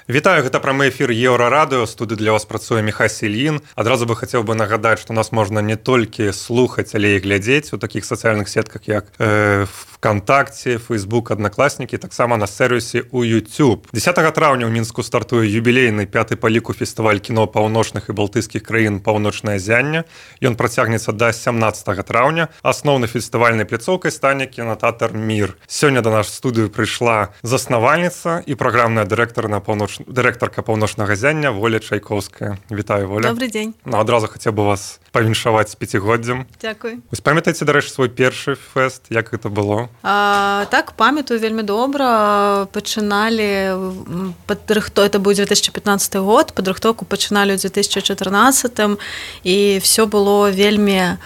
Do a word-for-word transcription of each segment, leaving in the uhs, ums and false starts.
Вітаю, гэта прамы эфір Еўрарадыё, студыі для вас працуе Міхась Ільін. Адразу бы хацеў бы нагадаць, што нас можна не толькі слухаць, але і глядзець у такіх сацыяльных сетках, як э, ВКонтакце, Фейсбук, Аднакласнікі, таксама на сервісе у YouTube. дзесятага траўня ў Мінску стартуе юбілейны пяты па ліку фестываль кіно паўночных і балтыйскіх краін «Паўночнае зянне». Ён працягнецца да сямнаццатага траўня. Асноўнай фестывальнай пляцоўкай стане кінотэатр «Мір». Сёння да нас в студыю прыйшла заснавальніца і праграмная дырэктар на паўноч... дырэктарка «Паўночнага зяння» Воля Чайковская. Вітаю, Воля. Добрый дзень. Ну, адразу хацеў бы вас павіншаваць з пяцігоддзям. Дзякуй. Вось памятаеце, дарэчы, свой першы фэст, як гэта было? А, так, памятаю вельмі добра. Пачыналі падрыхто, это быў две тысячи пятнадцаты год, падрыхтоўку пачыналі ў две тысячи чатырнаццатым, і все было вельмі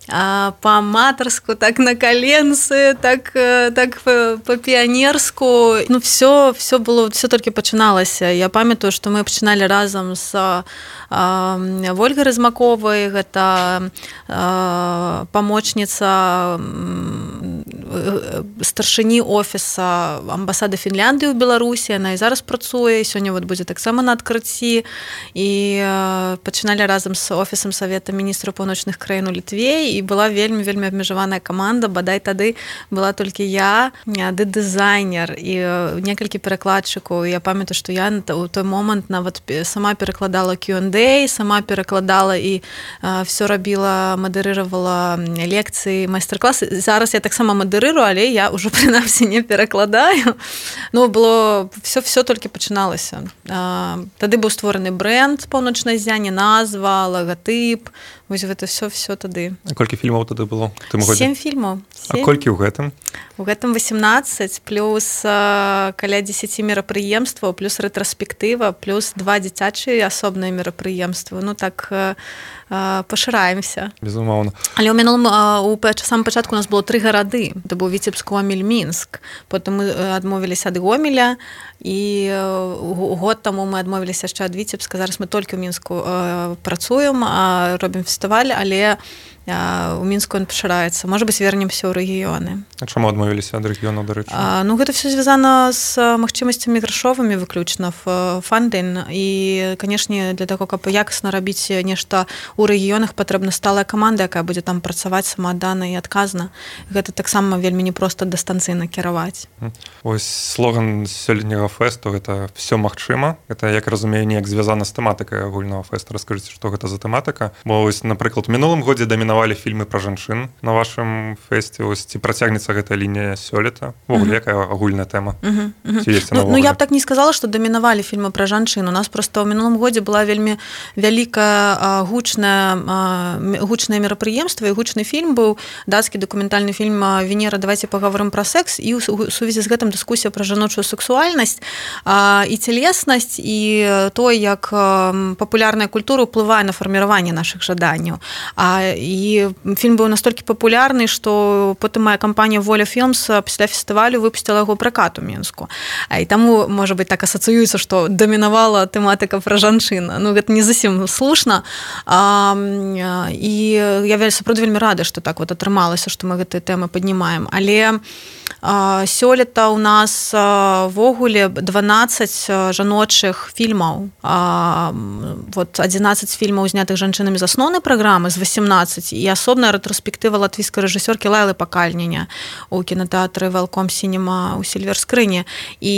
А, по-аматарску, так на коленцы, так, так по-піянерску. Ну, все, все было, все толькі пачыналася. Я памятаю, што мы пачыналі разам з а, Вольгай Размаковай, гэта а, памочніца старшыні офіса амбасады Фінляндыі ў Беларусі. Яна і зараз працуе, сёння вот будзе таксама на адкрыцці. І а, пачыналі разам з офісам Савета міністраў паўночных краін у Літве. І была вельмі-вельмі абмежаваная каманда, бадай тады была толькі я, ды дызайнер і некалькі перакладчыкаў. Я памятаю, што я ў той момант нават сама перакладала кью энд эй, сама перакладала і все рабіла, мадэрыравала лекцыі, майстар-класы. Зараз я таксама мадэрырую, але я ўжо прынамсі не перакладаю. Ну, было все, все толькі пачыналася. Тады быў створаны брэнд «Паўночнае зянне», назва, лагатып. Вось гэта все, все тады. А колькі фільмаў тады было? Сем фільмаў. А колькі ў гэтым? У гэтым восемнадцать, плюс а, каля дзесяці мерапрыемстваў, плюс рэтраспектыва, плюс два дзіцячыя асобныя мерапрыемствы. Ну так а, а, пашыраемся. Безумоўна. Але ў мінулым у самым пачатку у нас было тры гарады. Это быў Віцебск, Гомель, Мінск. Потым мы адмовіліся ад Гомеля, і год таму мы адмовіліся яшчэ ад Віцебска. Зараз мы толькі ў Мінску а, працуем, а робім фестываль, але у Мінску ён пашыраецца. Можа быць, вернемся ў рэгіёны. А чаму адмовіліся ад рэгіёнаў, дарэчы? Ну, гэта все звязана з магчымасцямі грашовымі выключна, фандинг. І, канешне, для таго, каб якасна рабіць нешта ў рэгіёнах, патрэбна сталая каманда, якая будзе там працаваць самааддана і адказна. Гэта таксама вельмі непроста дыстанцыйна кіраваць. Ось слоган сёлетняга фэсту — гэта «Всё магчыма». Гэта, як разумею, неяк звязана з тэматыкай агульнага фэсту. Раскажыце, што гэта за тэматыка? Бо, ось, напрыклад, у мінулым годзе дамінавалі фільмы пра жанчын на вашым фэсце. Ось, ці працягнецца гэтая лінія сёлета? Вогуле, якая агульная тэма? Uh-huh, uh-huh. Ну, ну, я б так не сказала, што дамінавалі фільмы пра жанчын. У нас проста ў мінулым годзе была вельмі вялікая гучная, гучнае мерапрыемства, і гучны фільм быў, дацкі дакументальны фільм «Венера, давайте паговорым пра секс», і ў сувязі з гэтым дыскусія пра жаночую сексуальнасць і целеснасць, і то, як папулярная культура ўплывае на фарміраванне нашых жаданняў. А, і фільм быў настолькі папулярны, што потым моя кампанія «Воля Філмс» пасля фестывалю выпусціла яго пракат у Мінску. А, і таму, можа быць, так асацыюецца, што дамінавала тэматыка пра жанчын. Ну, гэта не зусім слушна. А, і я сапраўды вельмі рада, што так вот атрымалася, што мы гэтыя тэмы паднімаем. Але а, сёлета у нас вогуле дванаццаць жаночых фільмаў. А, вот адзінаццаць фільмаў, знятых жанчынамі з асноўнай праграмы, з восемнадцать, і асобная рэтраспектыва латвійскай рэжысёркі Лайлы Пакальніня у кінотэатры «Велком Сінема» у Сільвер-Скрыні. І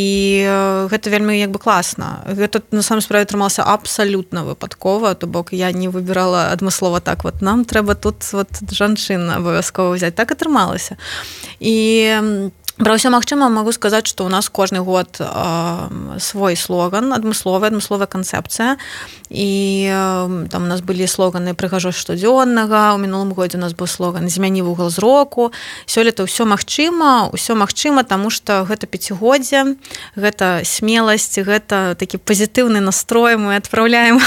гэта вельмі як бы класна. Гэта на самой справе атрымалася абсалютна выпадкова, то бок я не выбірала адмыслова так вот, нам трэба тут вот жанчын абавязкова ўзяць. Так атрымалася. І пра ўсё магчыма магу сказаць, што ў нас кожны год э, свой слоган, адмысловая, адмысловая канцэпцыя. І э, там у нас былі слоганы «Прыгажосць штодзённага», у мінулым годзе у нас быў слоган «Змяні вугал зроку». Сёлета ўсё магчыма, ўсё магчыма, таму што гэта пяцігоддзе, гэта смеласць, гэта такі пазітыўны настрой. Мы адпраўляем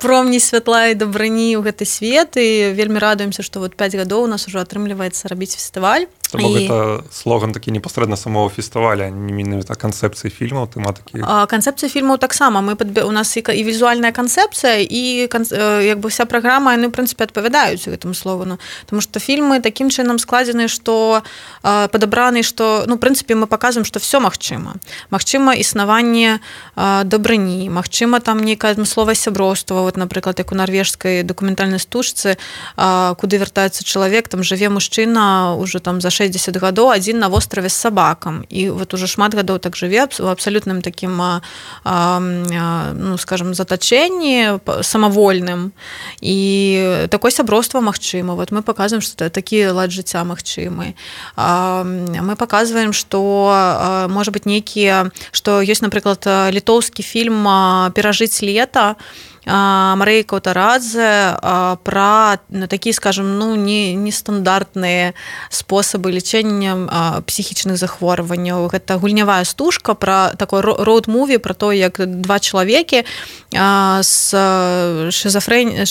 промні святла і дабрані ў гэты свет, і вельмі радуемся, што вот пяць гадоў у нас ужо атрымліваецца рабіць фестываль. То бок гэта слоган такі непасрэдна самого фестываля, не менавіта канцэпцыі фільмаў, тэматыкі. Канцэпцыя фільмаў таксама. Мы падб... У нас і, і візуальная канцэпцыя, і кан... як бы вся праграма, яны, ў прынцыпе, адпавядаюць гэтаму слогану. Таму што фільмы такім чынам складзены, што падабраны, што, ну, ў прынцыпе, мы паказваем, што все магчыма. Магчыма існаванне дабрыні, магчыма там нейкая адмысловае сяброўства, вот, напрыклад, як у нарвежскай дакументальнай стужцы, куды вяртаецца чалавек, там жыве мужчына ўжо там за шэсцьдзесят гадоў адзін на востраве з сабакам, і вот уже шмат гадоў так жыве у абсалютным такім, ну, скажем, затачэнні самавольным, і такое сяброўства магчыма. Вот мы паказваем, што такі лад жыцця магчымы. Мы паказваем, што можа быць нейкія, што ёсць, напрыклад, літоўскі фільм «Перажыць лета», Марыі Каўтарадзе пра такія, скажем, ну, не, нестандартныя спосабы лячэння псіхічных захворванняў. Гэта гульнявая стужка пра такой роуд-муві, пра то, як два чалавекі з шизофрэній,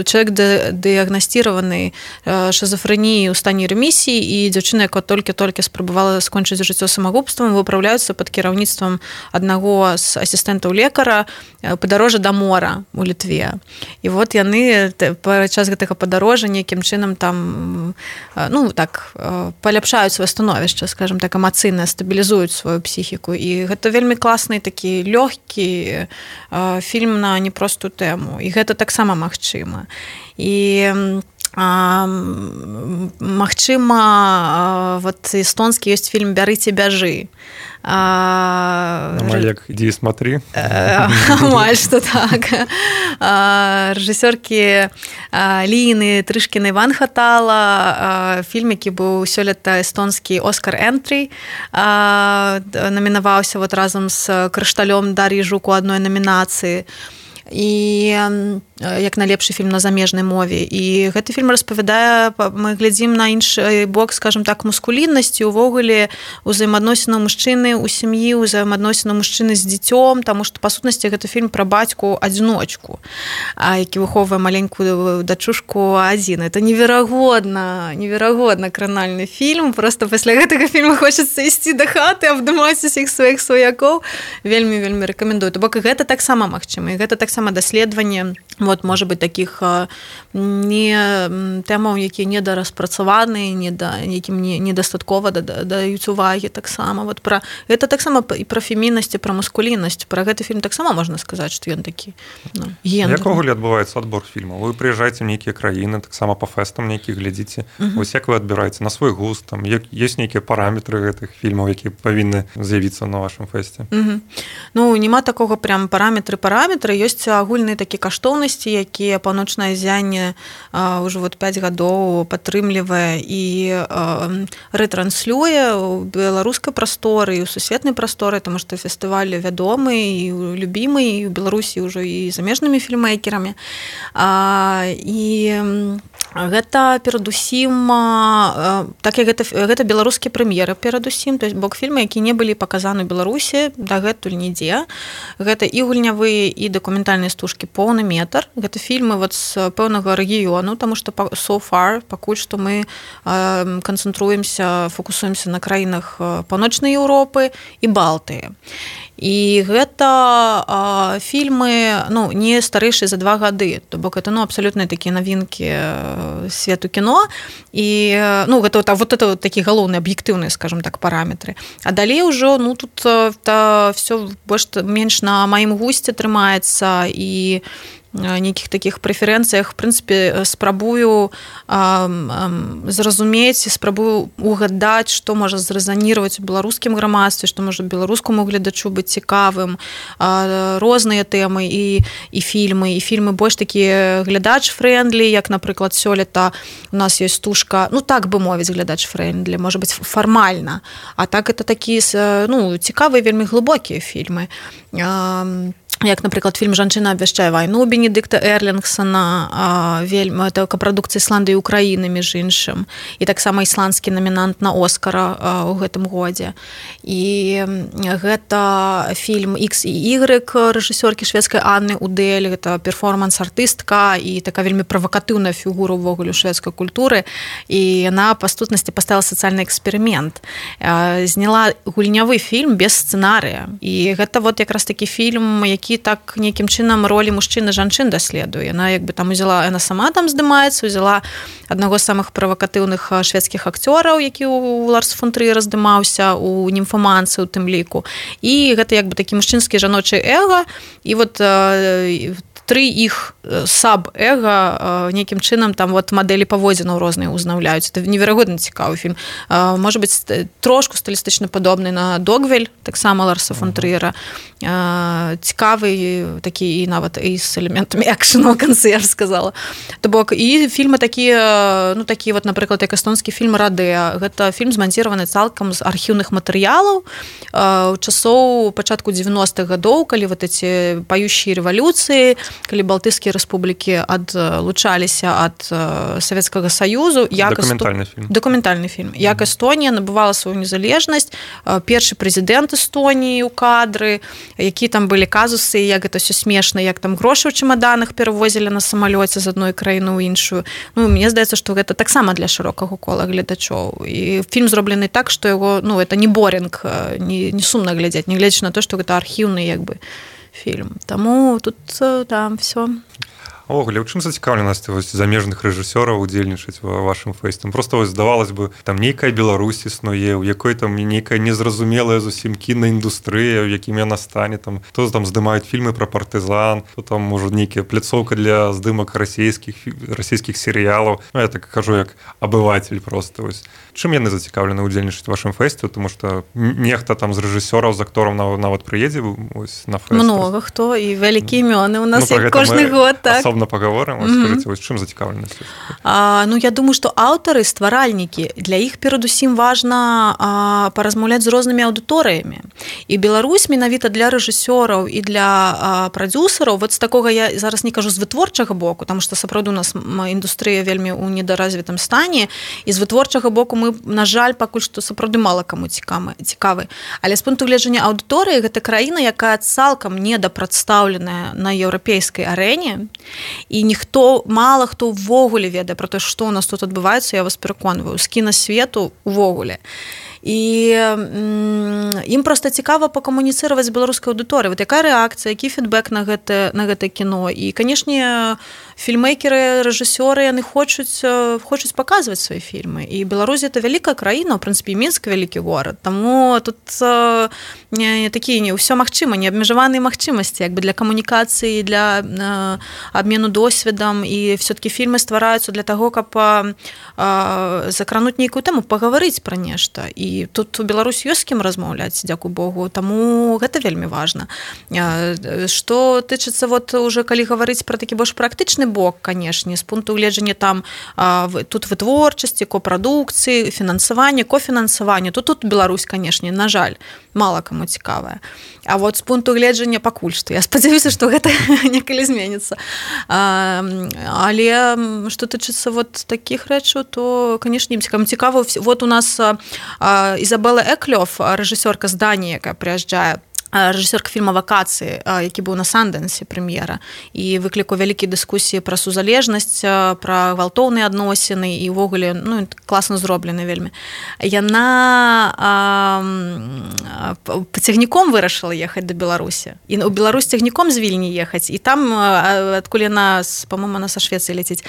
чалавек дыягнасціраваны шизофрэніяй у стане ремісіі, і дзяўчына, якая толькі-толькі спрабавала скончыць жыццё самагубствам, выпраўляюцца пад кіраўніцтвам аднаго з асістэнтаў лекара падарожжа да мора у Літве. І вот яны падчас гэтага падарожжа нейкім чынам там, ну, так, паляпшаюць сваё становішча, скажем так, эмацыйна стабілізуюць сваю псіхіку. І гэта вельмі класны такі лёгкі фільм на непростую тэму. І гэта таксама магчыма. І магчыма, вот эстонскі ёсць фільм «Бярыце, бяжы». Малек, иди и смотри. Амаль што так. Рэжысёркі Ліны Трышкінай Ван Хатала, фільм, які быў сёлета эстонскі «Оскар Энтрі», намінаваўся вот разам з «Крышталём» Дар'і Жук у адной намінацыі. І як найлепшы фільм на замежнай мове. І гэты фільм распавядае, мы глядзім на іншы бок, скажем так, мускуліннасці, увогуле узаемаадносінаў мужчыны ў сям'і, узаемаадносінаў мужчыны з дзіцём, таму што, па сутнасці, гэта фільм пра бацьку-адзіночку, які выхоўвае маленькую дачушку адзін. Это неверагодна, неверагодна кранальны фільм. Просто пасля гэтага фільма хочацца ісці да хаты, абдымаць усіх сваіх сваякоў. Вельмі-вельмі рэкамендую. То бок гэта таксама магчыма. І гэта таксама даследаванне, вот, можа быць, такіх не тэмаў, якія недараспрацаваны, не да, якім не, недастаткова даюць увагі таксама. Вот пра, гэта таксама і пра феміннасць, і пра мускуліннасць. Пра гэты фільм таксама можна сказаць, што ён такі, ну, гендерны. Як увогуле адбываецца адбор фільмаў? Вы прыязджаеце ў нейкія краіны, таксама па фэстам нейкіх глядзіце. Uh-huh. Вось як вы адбіраеце на свой густ? Там ёсць нейкія параметры гэтых фільмаў, якія павінны з'явіцца на вашым фэсце? Uh-huh. Ну, няма такога прям параметры-параметры. Ёсць агульныя такія каштоўнасці, якія Паўночнае ззянне ўжо вот пяць гадоў падтрымлівае і рэтранслюе ў беларускай прасторы і ў сусветнай прасторы, таму што фестываль вядомы і любімы і ў Беларусі ўжо і замежнымі фільмэйкерамі. І гэта перадусім, так як гэта, гэта беларускія прэм'еры перадусім, то есть бок фільмы, які не былі паказаны ў Беларусі дагэтуль нідзе. Гэта і гульнявыя, і дакументальныя стужкі поўны метр. Гэта фільмы вот з пэўнага рэгіёну, таму што so far, пакуль што мы канцэнтруемся, фокусуемся на краінах Паўночнай Еўропы і Балтыі. І гэта а, фільмы, ну, не старэйшыя за два гады, то бок это, ну, абсалютна такія навінкі свету кіно, і, ну, гэта вот, вот это вот такі галоўныя аб'ектыўныя, скажем так, параметры. А далей ужо, ну, тут та, все больш-менш на маім гусце трымаецца, і нейкіх такіх прэферэнцыях, в прынцыпе, спрабую а, а, зразумець, спрабую угадаць, што можа зрэзаніраваць у беларускім грамадстве, што можа беларускаму гледачу быць цікавым, а, розныя тэмы і, і фільмы, і фільмы больш такія глядач-фрэндлі, як, напрыклад, сёлета у нас ёсць стужка, ну, так бы мовіць, глядач-фрэндлі, можа быць, фармальна, а так это такія, ну, цікавыя, вельмі глыбокія фільмы. А, як, напрыклад, фільм «Жанчына абвяшчае вайну» Бенедыкта Эрлінгсона, вельмі, это капрадукцыя Ісландыі і Украіны, між іншым, і таксама ісландскі намінант на Оскара ў гэтым годзе. І гэта фільм «Ікс і Ігрэк» рэжысёркі шведскай Анны Удель, гэта перформанс-артыстка і такая вельмі правакатыўная фігура ўвогуле шведскай культуры, і яна па сутнасці паставіла сацыяльны эксперымент. Зняла гульнявы фільм без сцэнарыя, і гэта вот якраз такі фільм, які так нейкім чынам ролі мужчын і жанчын даследуе. Яна як бы там узяла, яна сама там здымаецца, узяла аднаго з самых правакатыўных шведскіх акцёраў, які ў Ларс фон Трыера здымаўся, у «Німфаманцы» у тым ліку. І гэта як бы такі мужчынскі жаночы эга, і вот тры іх саб-эга нейкім чынам там вот мадэлі паводзінаў розныя ўзнаўляюць. Это неверагодна цікавы фільм. Можа быць, трошку стылістычна падобны на «Догвіль», таксама Ларса фон Трыера. Цікавы такі і нават і з элементамі экшэну ў канцы, я ж сказала. То бок, і фільмы такія, ну такі вот, напрыклад, як эстонскі фільм «Радэ». Гэта фільм зманціраваны цалкам з архіўных матэрыялаў у часоў пачатку дзевяностых гадоў, калі вот эти пающие рэвалюцыі, калі балтыйскія рэспублікі адлучаліся ад Савецкага Саюзу. Дакументальны Эсто... фільм. Дакументальны фільм. Mm-hmm. Як Эстонія набывала сваю незалежнасць, першы прэзідэнт Эстоніі ў кадры, які там былі казусы, як гэта ўсё смешна, як там грошы ў чемаданах перавозілі на самалёце з адной краіны ў іншую. Ну, мне здаецца, што гэта таксама для шырокага кола гледачоў. І фільм зроблены так, што яго, ну, это не борінг, не, не сумна глядзець, не гледзячы на то, што гэта архіўны, як бы, фільм. Таму тут там всё. Овогуле, у чым зацікаўленасць вось замежных рэжысёраў удзельнічаць ва вашым фэсце? Просто вось здавалось бы, там нейкая Беларусь існуе, у якой там нейкая незразумелая зусім кінаіндустрыя, у якім яна стане, там то там здымаюць фільмы пра партызан, то там можа нейкая пляцоўка для здымак расійскіх расійскіх серыялаў. Ну, я так кажу як абыватель просто вось. Чым яны зацікаўлены удзельнічаць вашым фэсце, тому што нехта там з рэжысёраў, з актораў нават прыедзе вось на фэст. Много хто і вялікія імёны у нас ну, кожны год, так. Паговорым, mm-hmm. скажыце, вось чым зацікаўленасць? А, ну, я думаю, што аўтары, стваральнікі, для іх перадусім важна а, паразмаўляць з рознымі аўдыторыямі. І Беларусь менавіта для рэжысёраў і для а, прадзюсараў, вот з такога я зараз не кажу з вытворчага боку, таму што сапраўды у нас індустрыя вельмі ў недаразвітым стане, і з вытворчага боку мы, на жаль, пакуль што сапраўды мала каму цікавы. Але з пункту гледжання аўдыторыі гэта краіна, якая цалкам недапрадстаўленая на еўрапейскай арэне, і ніхто, мала хто ўвогуле ведае пра тое, што ў нас тут адбываецца, я вас пераконваю, з кінасвету ўвогуле. І ім проста цікава пакамуніцыраваць з беларускай аўдыторыяй. Вот якая рэакцыя, які фідбэк на гэта, на гэта кіно. І, канешне, фільмейкеры, рэжысёры, яны хочуць, хочуць паказваць свае фільмы. І Беларусь – это вялікая краіна, ў прынцыпе, Мінск – вялікі горад. Таму тут не, такія не ўсё магчыма, не абмежаваныя магчымасці як бы для камунікацыі, для э, абмену досведам. І все-таки фільмы ствараюцца для таго, каб э, закрануць нейкую тэму, пагаварыць пра нешта. І тут у Беларусь ёсць з кім размаўляць, дзякуй Богу, таму гэта вельмі важна. Што тычыцца вот уже калі гаварыць пра такі больш практычны бок, канешне, з пункту гледжання там тут вытворчасці, копрадукцыі, фінансавання, кофінансавання, то тут Беларусь, канешне, на жаль, мала каму цікавая. А вот з пункту гледжання пакуль што я спадзяюся, што гэта некалі зменіцца. Але што тычыцца вот такіх рэчаў, то, канешне, ім цікава. Вот у нас Ізабела Эклёв, рэжысёрка з Даніі, якая прыязджае, рэжысёрка фільма «Вакацыі», які быў на Сандэнсе прэм'ера, і выклікаў вялікія дыскусіі пра сузалежнасць, пра гвалтоўныя адносіны, і ўвогуле, ну, класна зроблены вельмі. Яна а, цягніком вырашыла ехаць да Беларусі. І ў Беларусь цягніком з Вільні ехаць, і там, адкуль яна, па-моему, она са Швецыі ляціць,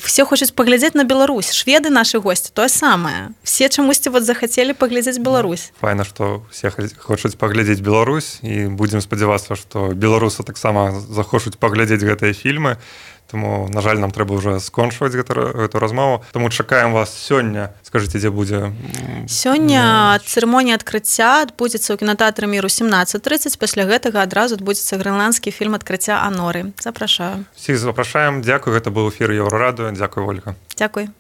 все хочуць паглядзець на Беларусь. Шведы, нашы госці, тое самае. Все чамусьці вот захацелі паглядзець Беларусь. Файна, што все хочуць паглядзець Беларусь. Беларусь, і будзем спадзявацца, што беларусы таксама захочуць паглядзець гэтыя фільмы. Таму, на жаль, нам трэба ўжо скончваць гэту, гэту размову. Таму чакаем вас сёння. Скажыце, дзе будзе? Сёння цырымонія адкрыцця адбудзецца ў кінатэатры Мір у сямнаццаць трыццаць. Пасля гэтага адразу адбудзецца грэнландскі фільм «Адкрыцця Аноры». Запрашаю. Всіх запрашаем. Дзякуй. Гэта быў эфір Еўрарадыё. Дзякуй, Ольга. Дзякуй.